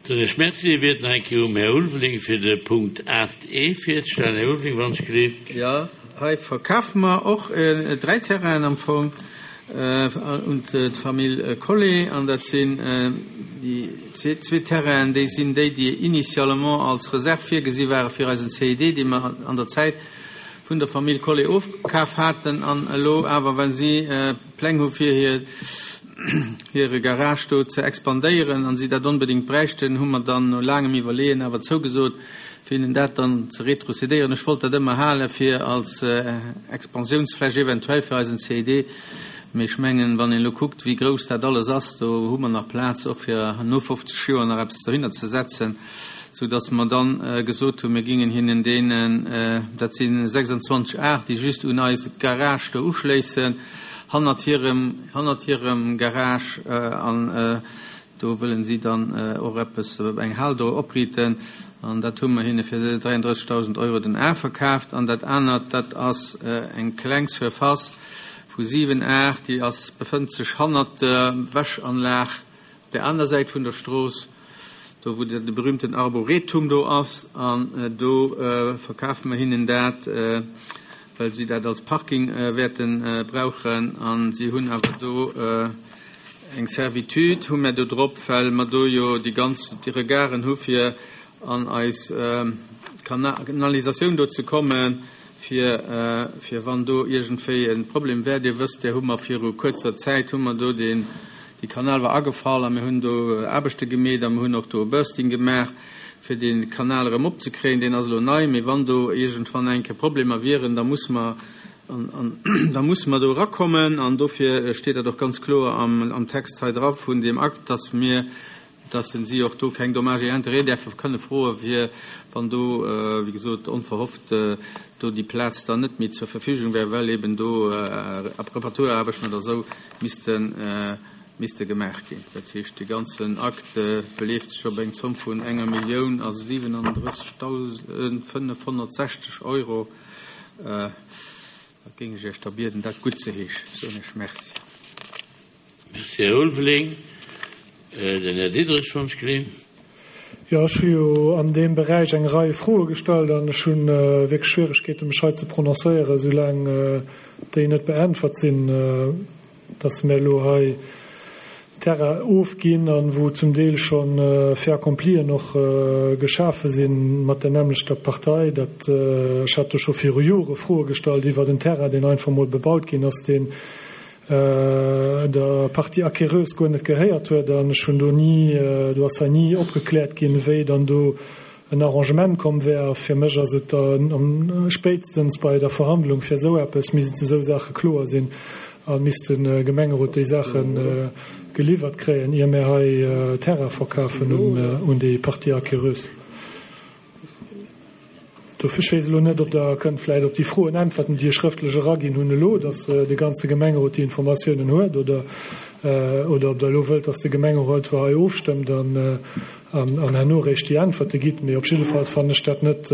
Soen ech Merci. Wiert nach eng Kéier um Här Ulveling fir de Punkt 8 e virzestellen. Här Ulveling, wann ech gelift. Jo, hei verkafe mer och 3 Terrainen am Fong un d'Famill Collé. An dat sinn déi zwee Terrainen, déi sinn déi, déi initialement als Reserve virgesi ware fir eisen CID, dee mer an der Zäit vun der Famill Collé ofkaf haten. An elo awer, well si Pläng hu fir hir hire Garage do ze expandéieren an si dat onbedéngt bräichten, hu mer dann no laangem Iwwerleeën awer zougesot, fir hinnen dat dann ze retrocédéieren. Ech wollt dat ëmmer hale fir als Expansiounsfläch eventuell fir eisen CID, mee ech mengen, wann een elo kuckt, wéi grouss dat alles ass, do hu mer nach Plaz och fir no 50 Joer nach eppes dohinner ze setzen, sou dass mer dann gesot hunn, mir gingen hinnen deenen, dat si 26 Ar, déi just un eis Garage do uschléissen, hannert hirem, hannert hirem Garage an do wëllen si dann och eppes, eng Hal do opriiten an dat hu mer hinne fir 33.000 Euro den Ar verkaaft. An dat anert, dat ass eng kleng Surface vu 7 Ar, déi ass, befënnt sech hannert der Wäschanlag op där aner Säit vun der Strooss, do wou de berühmten Arboretum do ass an do verkafe mer hinnen dat, well si dat als Parking wäerte brauchen a si hunn awer do eng Servitude hu mär do drop, well mer do jo déi ganz déi Regarden hu fir an eis Kanalisatioun do ze kommen, fir fir wann do iergendwéi e Problem wär. Dir wësst, där hu mer viru kuerzer Zäit hu mer do deen, dee Kanal war agefall a mir hunn do Aarbechte gemeet a mir hunn och do e Bursting gemaach, fir dee Kanal erëm opzekréien. Deen ass elo nei, mee wann do iergendwann eng Kéier Problemer wieren, da musse mer, da musse mer do erakommen. An dofir steet dat och ganz kloer am Text hei dra vun deem Akt, dass mir, dass si och do keng Dommages et intérêts däerfe kënne froen, fir wann do, wéi gesot, onverhofft do déi Plaz dann net méi zur Verfügung wär, well eben do Reparaturaarbechten oder esou missten misste gemaach ginn. Dat heescht, dee ganzen Akt beleeft sech op eng Zomm vun enger Millioun a 37.560 Euro. Da géing ech Iech da bieden, dat guttzeheeschen. Soen ech Merci. Merci, Här Ulveling. Den Här Diderich wënscht d'Gléi. Jo, ech hu jo an deem Beräich eng Rei Froe gestallt an ech hu wierklech Schwieregkeeten, mech hei ze prononcéieren, soulaang déi net beäntwert sinn. Dass mir elo hei Terrain ofginn a wou zum Deel scho Fait accomplien och geschafe si mat der nämmlechter Partei, dat, ech hat do scho viru Jore Froe gestallt iwwert en Terrain, deen einfach mol bebaut ginn ass, deen der Partie acquéreuse guer net gehéiert huet. An ech hunn do ni, do ass hei ni opgekläert ginn, wéi dann do en Arrangement komm wär. A fir mech ass et da spéitstens bei der Verhandlung fir esou eppes, missten esou Saache kloer sinn a misst de Gemengerot déi Saache geliwwert kréien, ier mir hei Terrain verkafen un déi Partie acquéreuse. Dofir, ech weess elo net, ob Der kënnt vläicht op déi Froen äntwerten, déi ech schrëftlech eraginn hunn elo, dass de ganze Gemengerot déi Informatiounen huet, oder, oder ob Der elo wëllt, dass de Gemengerot hei ofstëmmt an, an herno eréischt déi Äntwerte gitt. Mee op jiddefalls fannen ech dat net,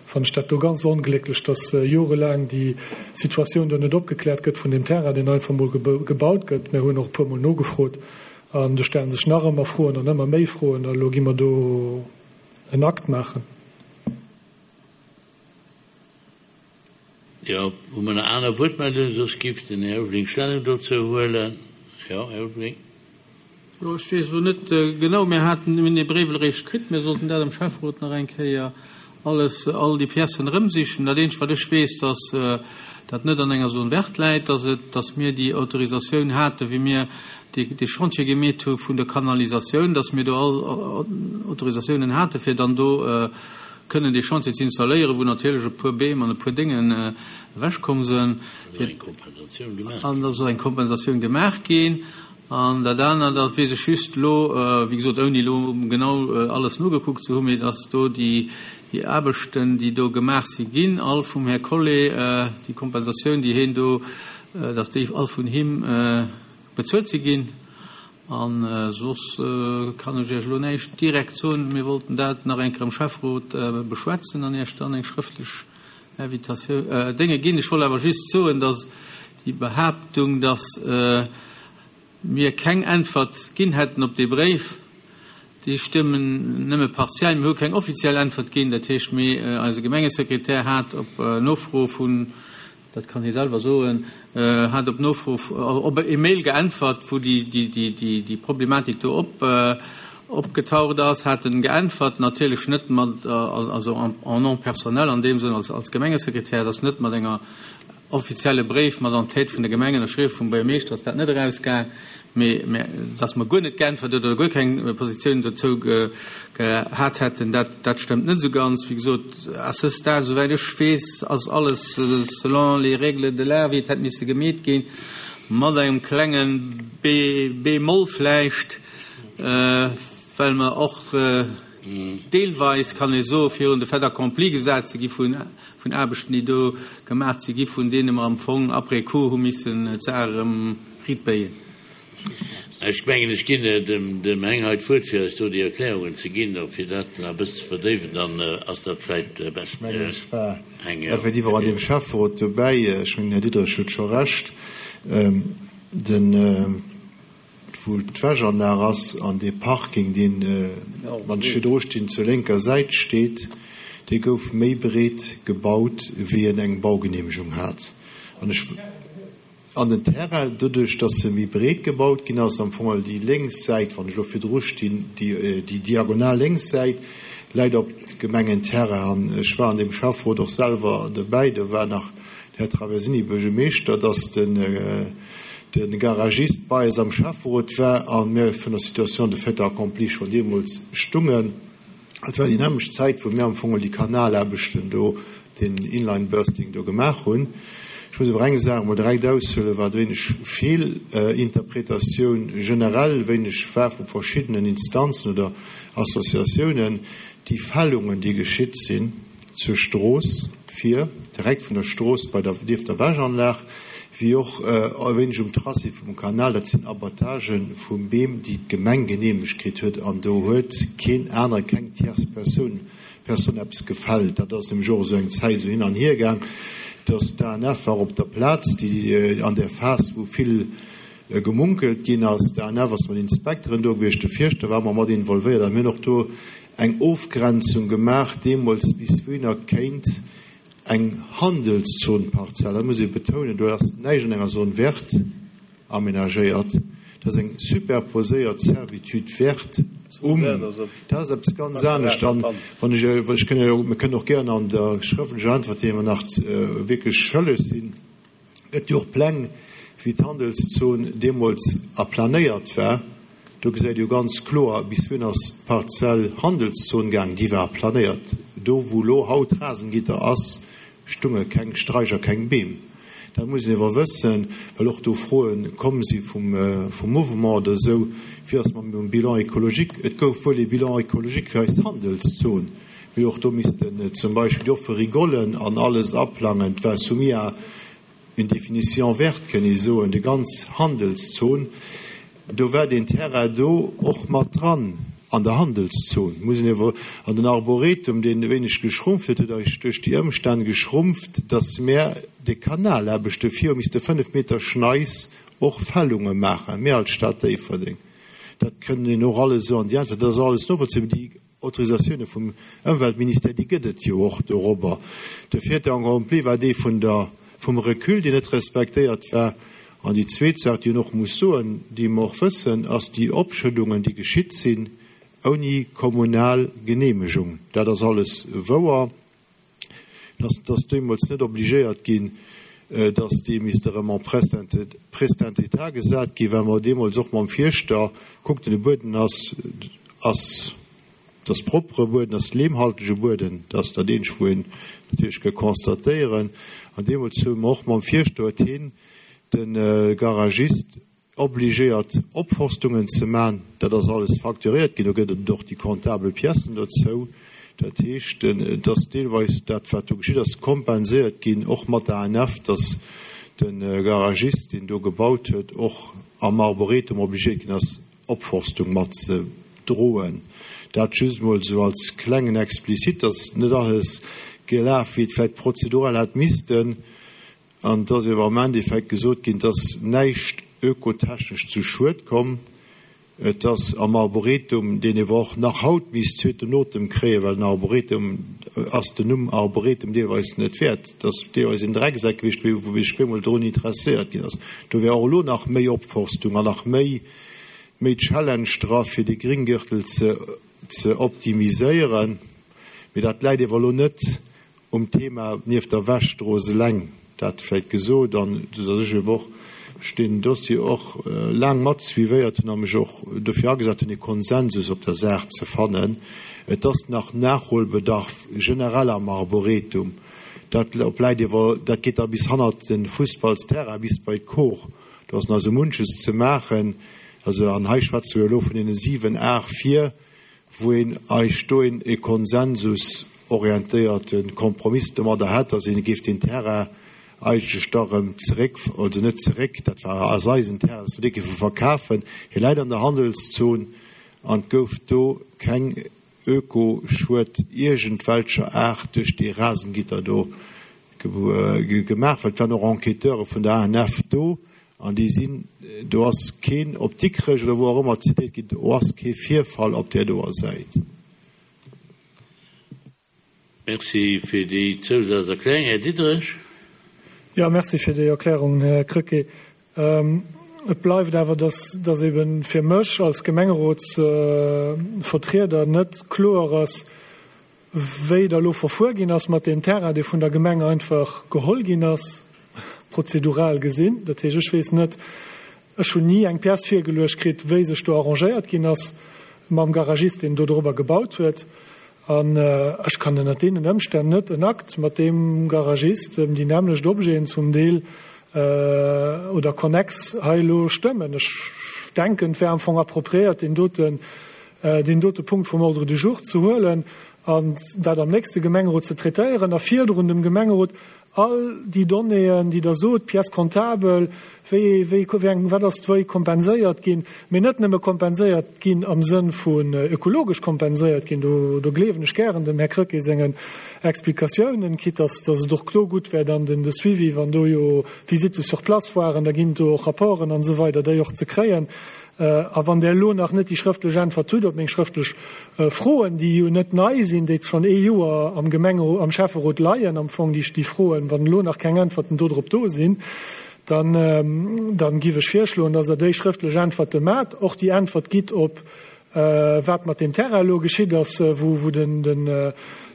fannen ech dat do ganz onglécklech, dass jorelaang déi Situatioun do net opgekläert gëtt vun deem Terrain, deen einfach mol gebaut gëtt. Mir hunn och e puermol nogefrot an do stelle sech nach ëmmer Froen an ëmmer méi Froen. A elo gi mer do en Akt maachen. Jo, hu mer nach aner Wuertmeldungen? Soss giff den Här Ulveling Stellung dozou huelen. Jo, Här Ulveling. Jo, ech weess elo net genau. Mir haten, mir hunn dee Bréif eréischt kritt. Mir sollten dat am Schäfferot nach eng Kéier alles, all déi Piècen erëmsichen. Dat eenzegt, wat ech weess, dass dat net an enger Zone verte läit, dass et, dass mir déi Autorisatioun haten, wéi mir dee Chantier gemeet hu vun der Kanalisatioun, dass mir do all Autorisatiounen hate fir dann do kënnen dee Chantier ze installéieren, wou natierlech e puer Beem an e puer Déngen ewechkomm sinn, an da soll eng Kompensatioun gemaach ginn. An dat anert, dat weess ech just elo, wéi gesot, ouni elo genau alles nogekuckt ze hunn, mee dass do déi Aarbechten, déi do gemaach si ginn, all vum Här Collé, déi Kompensatioun, déi hien do, dass déi all vun him Bezuelt si ginn. A soss kann ech Iech elo näischt direkt soen. Mir wollten dat nach eng Kéier am Schäfferot beschwätzen an Iech dann eng schrëftlech Invitatioun, Dénge ginn. Ech wollt awer just soen, dass déi Behaaptung, dass mir keng Äntwert ginn hätten op dee Bréif, Déi stëmmen nëmme partiell. Mir hu keng offiziell Äntwert ginn. Dat heescht, mee eise Gemengesekretär hat op Nofro vun, dat kann hie selwer soen, hat op Nofro, op e Mail geäntwert, wou déi Problematik do op opgetaucht ass, hat en geäntwert, natierlech net mat, also en nom personnel an deem Sënn als Gemengesekretär, et ass net mat enger Offizielle Bréif mat an Tête vun der Gemeng, ënnerschriwwe vum Buergermeeschter, ass dat net erausgaang, mee dass mer guer net geäntwert oder guer keng Positioun dozou gehat hätten, dat dat stëmmt net esou ganz. Wéi gesot, à ce stade, esouwäit ech weess, ass alles selon les règles de l'art, wéi et hätt misse gemeet ginn, mat engem klenge Bémol vläicht, well mer och deelweis, kann ee soen, virun de Fait accompli gesat si gi vun vun Aarbechten, déi do gemaach si gi, vun deene mer am Fong après coup hu missen d'Saach erëm riitbéien. Ech mengen, ech ginn dem Heng hei d'Wuert, fir eis do déi Erklärungen ze ginn a fir dat nach e bëssen ze verdéiwen, dann ass dat vläicht besser. Ech mengen, ech war effektiv och an deem Schäfferot dobäi. Ech mengen, den Här Diderich huet scho Recht. Den. wou d'Wäschanlag ass an dee Parking, deen, wann ech virdru stinn, zur lénker Säit steet, dee gouf méi breet gebaut, wéi en eng Baugenehmegung hat. An ech, an den Terrain, doduerch datt e méi breet gebaut ginn ass, am Fong déi lénks Säit, wann ech elo virdru stinn, déi, déi diagonal lénks Säit läit op Gemengenterrain. An ech war an deem Schäfferot och selwer dobäi, do war nach den Här Traversini Buergermeeschter, datt den, de Garagist bei eis am Schäfferot war a mir vun der Situation de fait accompli schonn deemools stungen. Et war déi nämmlecht Zäit, wou mir am Fong déi Kanalaarbechten do, den Inline-Bursting do gemaach hunn. Ech muss awer eng Saach emol direkt aushuelen, wat e wéineg Feelinterpretatioun generell e wéineg war vu verschiddenen Instanzen oder Associatiounen, déi Fällungen, déi geschitt sinn, Zur Strooss vir, direkt vun der Strooss bei der nieft der Wäschanlag, wéi och e wéineg um Tracé vum Kanal. Dat sinn Abattage vu Beem, déi d'Gemeng geneemegt kritt huet, an do huet keen anere, keng tierce Persoun, Personne eppes gefällt. Dat ass nämlech och esou eng Zäit esou hin an hier gaang, dass d'ANF war op der Plaz, déi an där Phas, wou vill gemunkelt ginn ass, d'ANF ass mat Inspekteren do gewiescht, de Fierschter war ëmmer mat involvéiert a mir hunn och do eng Ofgrenzung gemaach deemools, bis wouhinner kéint eng Handelszonparzell, dat muss ee betounen, do ass näischt an enger Zone verte aménagéiert, dat ass eng superposéiert Servitude verte um, dat ass eppes ganz anescht. An wann ech, ech kënn jo, mir kënnen och gären an der schrëftlecher Äntwert, déi mer nach wierklech schëlleg sinn, Gëtt jo och Pläng, wéi d'Handelszon deemools aplanéiert war. Do gesäit ee jo ganz kloer, bis wouhin ass d'Parzell Handelszon gaang. Déi war aplanéiert. Do, wou elo haut Rasengitter ass, stunge keng Straicher, keng Beem. Dat muss een ewer wëssen, well och do Froe komm si vum Mouvement oder esou, Wéi ass mam Bilan écologique? Et gouf wuel ee Bilan écologique fir eis Handelszon, Mee och do missten zum Beispill déi offe Rigollen an alles aplangen. Et war soumis à une définition verte, kënn ee soen, déi ganz Handelszon. Do war deen Terrain do och mat dran an der Handelszon, muss een ewer. An den Arboretum, deen e wéineg geschrumpft huet, huet eis duerch déi Ëmstänn geschrumpft, datt mär de Kanalaarbechte vir hu misste 5 Meter Schneis och Fällunge maachen, mir als Stad Déifferdeng. Dat kënn een och alles esou an déi Äntwert, dat ass alles novollzéibar. Déi Autorisatioune vum Ëmweltministère, déi gëtt et jo och dorobber. De fait accompli war dee vun der, vum Recul, deen net respektéiert war. An déi zweet Saach, déi een och muss soen, déi mer och wëssen, ass déi Opschëddungen, déi geschitt sinn ouni kommunal Genehmegung. Dat ass alles wouer. Dass dass deemools net obligéiert ginn, dass dee misst erëm en prestent état gesat ginn, well mer deemools och mam Fierschter kuckten, de Bueden ass ass dass proppere Bueden, ass leemhaltege Bueden, dat ass dat eenzegt, wou een natierlech ka constatéieren. An deemools hu mer och mam Fierschter, huet hien de Garagist obligéiert Opforstungen ze man, dat ass alles facturéiert ginn, do gëtt et och déi comptabel Piècen dozou. Dat heescht, et ass deelweis dat wat do geschitt ass, kompenséiert ginn, och mat der ANF, datt de Garagist, deen do gebaut huet, och am Arboretum obligéiert ginn ass, Opforstung mat ze droen. Dat just emol esou als klengen Explicite, datt net alles gelaf wéi et vläicht prozedural hätt missten. An et ass ewer am Endeffekt gesot ginn, et ass näischt ökotechnesch zu Schued komm. Et ass am Arboretum, deen ewer och nach haut misst zweeten Otem kréien, well den Arboretum ass den Numm Arboretum deelweis net wäert. Et ass deelweis een Drecksack gewiescht, wou sech bemol drun interesséiert ginn ass. Do wär och elo nach méi Opforstung an nach méi méi Challenge dra fir dee Gringgürtel ze ze optimiséieren. Mee dat läit ewer elo net Um Thema nieft der Wäschstrooss eleng, dat vläit gesot, an datt ech eeben och mech deen Dossier och laang mat suivéiert hunn a mech och dofir agesat hunn, e Konsensus op der Saach ze fannen. Et ass nach Nachholbedarf generell am Arboretum. Dat läit iewer, dat geet da bis hannert de Fussballsterrain, bis bei d'Kor. Do ass nach esou munches ze maachen. Also, an hei schwätze mir elo vun deene 7, 8 vir. wou een eich do een e konsensusorientéierte Kompromiss domadder hätt, dass een géif deen Terrain eigentlech da erëm zeréck, also net zeréck, dat war ass eisen Terrain, dass mer dee géife verkafen. Hie läit an der Handelszon an et gouf do keng Ökoschued iergendwelcher Aart duerch dee Rasengitter do gemaach, well et waren och Enquêteure vun der ANF do An déi sinn, do ass keen, op Dikrech oder wou och ëmmer zitéiert ginn, do ass kee Virfall op där doer Säit. Merci fir déi Zousazerklärung. Här Diderich. Jo, merci fir déi Erklärung, Här Krecké. Et bleift awer, dass, dass ebe fir mech als Gemengerotsvertrieder net kloer ass, Wéi da lo verfuer ginn ass mat deem Terrain, dee vun der Gemeng einfach geholl ginn ass, prozedural gesinn. Dat heescht, ech weess net, ech hunn ni eng Pièce virgeluecht kritt, wéi sech do arrangéiert ginn ass mam Garagist, deen do dorobber gebaut huet. An ech kann ënnert deenen Ëmstänn net en Akt mat deem Garagist ëm déi nämmlecht Objeten zum Deel oder konnex hei elo stëmmen. Ech denken, et wär am Fong appropriéiert, deen doten deen dote Punkt vum Ordre du jour ze huelen an dat am nächste Gemengerot ze traitéieren a virdrun dem Gemengerot all déi Donnéeën, déi Der sot, d'Pièce comptable, wéi, wéi, wéi eng, wat ass wéi kompenséiert ginn, mee net nëmme kompenséiert ginn am Sënn vun ökologesch kompenséiert ginn, do, do gleewen ech gären dem Här Krecké sengen Explikatiounen, quitte dass, dass et och do gutt wär dann den, de Suivi, wann do jo Visites sur place waren, da ginn do och Rapporten an esou weider, déi och ze kréien. A wann Der elo nach net déi schrëftlech Äntwert hutt op meng schrëftlech Froen, déi jo net nei sinn, déi schonn ee Joer am Gemenge-, am Schäfferot leien am Fong, déi Froen, wann elo nach keng Äntwerten dodrop do sinn, dann, dann giff ech virschloen, dass Der déi schrëftlech Äntwerte maacht, och déi Äntwert gitt op wat mat deem Terrain elo geschitt ass, wou, wou den, den,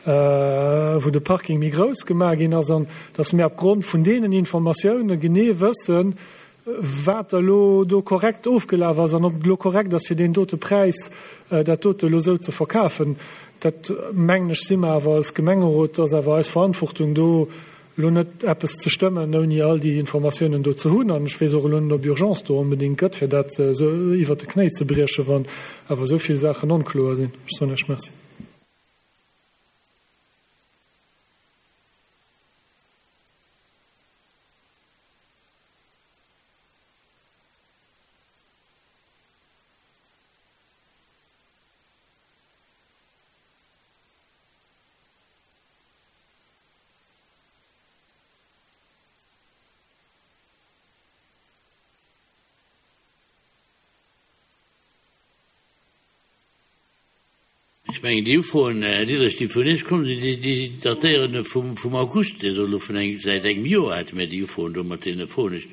wou de Parking méi grouss gemaach ginn ass, an dass mir opgrond vun deenen Informatioune genee wëssen, wat elo do korrekt ofgelaf ass an ob et elo korrekt ass, fir deen dote Präis dat dote elo esou ze verkafen, dat, mengen ech, si mer awer als Gemengerot, ass awer eis Verantwortung, do elo net eppes ze stëmmen, ouni all déi Informatiounen do ze hunn. An ech weess och elo net, ob Urgence do onbedéngt gëtt, fir dat esou iwwert de Knéi ze briechen, wann awer esou vill Saachen onkloer sinn. Ech soen Iech Merci. Ech mengen, déi Ufroen, Här Diderich, déi vun Iech komm sinn, déi datéieren vum August. Dir sot elo vun engem, säit engem Joer hätte mir déi Ufroen do mat deene Froen. Ech,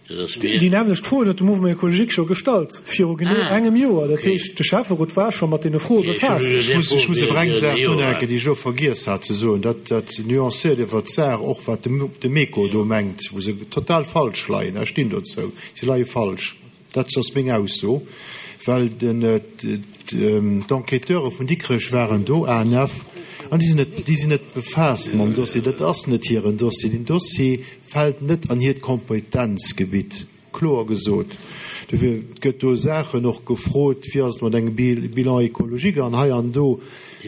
dat ass mir. Déi nämmlecht Froen huet de Mouvement Écologique scho gestallt, viru genee engem Joer. Dat heescht, de Schäfferot war scho mat deene Froe befaasst. Ech muss, ech muss awer eng Saach unhänken, déi ech elo vergiess hat ze soen. Dat, dat nuancéiert iwwert d'Saach och, wat de, de Méco do mengt, wou se total falsch leien. Ech stinn dozou, si leie falsch. Dat ass meng Ausso, well d'Enquêteure vun Dikrech waren do, ANF, an déi sinn net, déi sinn net befaasst mam Dossier. Dat ass net hiren Dossier. Deen Dossier fält net an hiert Kompetenzgebitt, kloer gesot. Dofir gëtt do Saachen och gefrot, wéi ass et mat engem Bilan écologique an hei an do.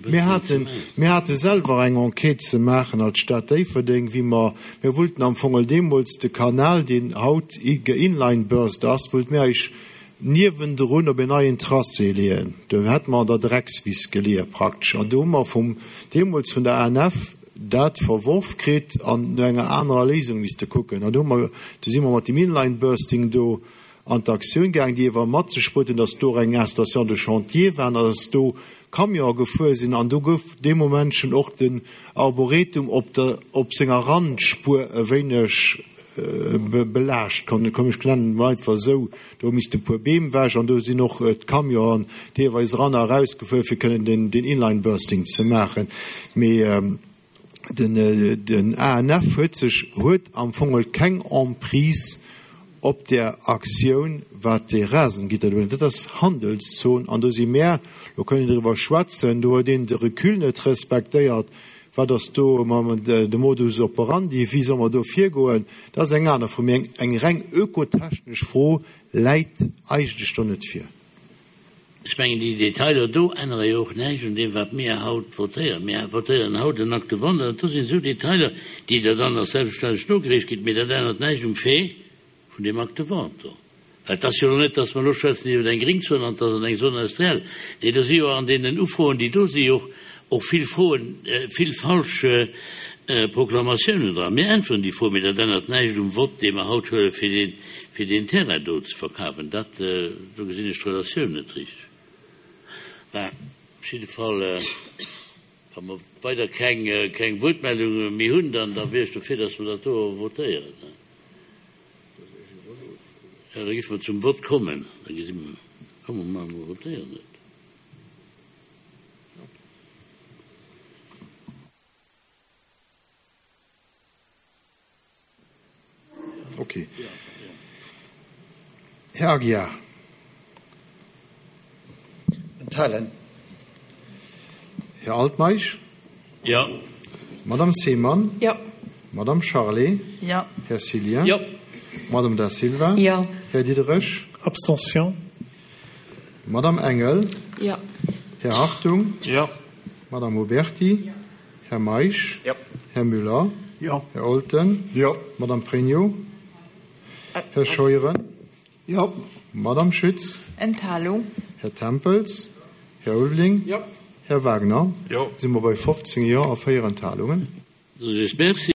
Mir haten, mir hate selwer eng Enquête ze maachen als Stad Déifferdeng, wéi mer, mir wollten am Fong deemools de Kanal, deen haut geinlineburst ass, wollte mir eis niewendrun op en neien Tracé leeën. Do hätte mer an der Dreckswiss geleeë praktesch. An do hu mer vum, deemools vun der ANF dat verworf kritt an no enger anerer Léisung misste kucken. An do hu mer, do si mer mat dem Inlinebursting do. an d'Aktioun gaangen, déi ewer mat sech bruet hunn, datt do och eng Installation de chantier war an datt do Camionen gefuer sinn an do gouf dee Moment schonn och den Arboretum op der, op senger Randspuer e wéineg belaascht, komm ech nennen et mol einfach esou. Do misste e puer Beem ewech an do sinn och d'Camionen deelweis eran a erausgefuer, fir kënnen den Inline-Bursting ze maachen. Mee den ANF huet sech, huet am Fong keng Emprise op där Aktioun, wat dee Rasengitter do, dat ass Handelszon an do si mär, do kënnt een driwwer schwätzen, do huet een de Recul net respektéiert, wat ass do de Modus operandi, wéi soll mer do virgoen, dat ass eng aner Fro, mee eng reng ökotechnesch Fro läit eigentlech do net vir. Ech mengen, déi Detailer do ännere jo och näischt un deem, wat mir haut votéieren. Mir votéieren haut en Acte de vente an do sinn esou Detailer, déi Der dann nach selbstverständlech nogereecht kritt, mee dat ännert näischt um Fait vun deem Acte de vente do. Well et ass jo elo net, dass mer elo schwätzen iwwer eng Gringzon an et ass an eng Zone industrielle. Nee, do si jo an deenen Ufroen, déi do si jo och vill Froen, vill falsch Proklamatiounen dran. Mir äntweren déi Froen, mee dat ännert näischt um Vott, dee mer haut huelen, fir deen, fir deen Terrain do ze verkafen, dat, do gesinn ech d'Relatioun net richteg. Mä op jidde Fall, wa mer weider keng, keng Wuertmeldunge méi hunn, dann, da wier ech dofir, dass mer dat do votéieren. Jo, da géife mer zum Vott kommen. Da gesi mer, komm, mer votéieren et. Ok. Här Aguiar. Enthalen. Här Altmeisch. Jo. Madame Seemann. Jo. Madame Charlé. Jo. Här Cillien. Jo. Madame Da Silva. Jo. Här Diderich. Abstention. Madame Engel. Jo. Här Hartung. Jo. Madame Oberti. Jo. Här Meisch. Jo. Här Müller. Jo. Här Olten. Jo. Madame Pregno. Här Scheuren. Jo. Madame Schütz. Enthalung. Här Tempels. Här Ulveling. Jo. Här Wagner. Jo. Si mer bei 15 Jo a 4 Enthalungen. Merci.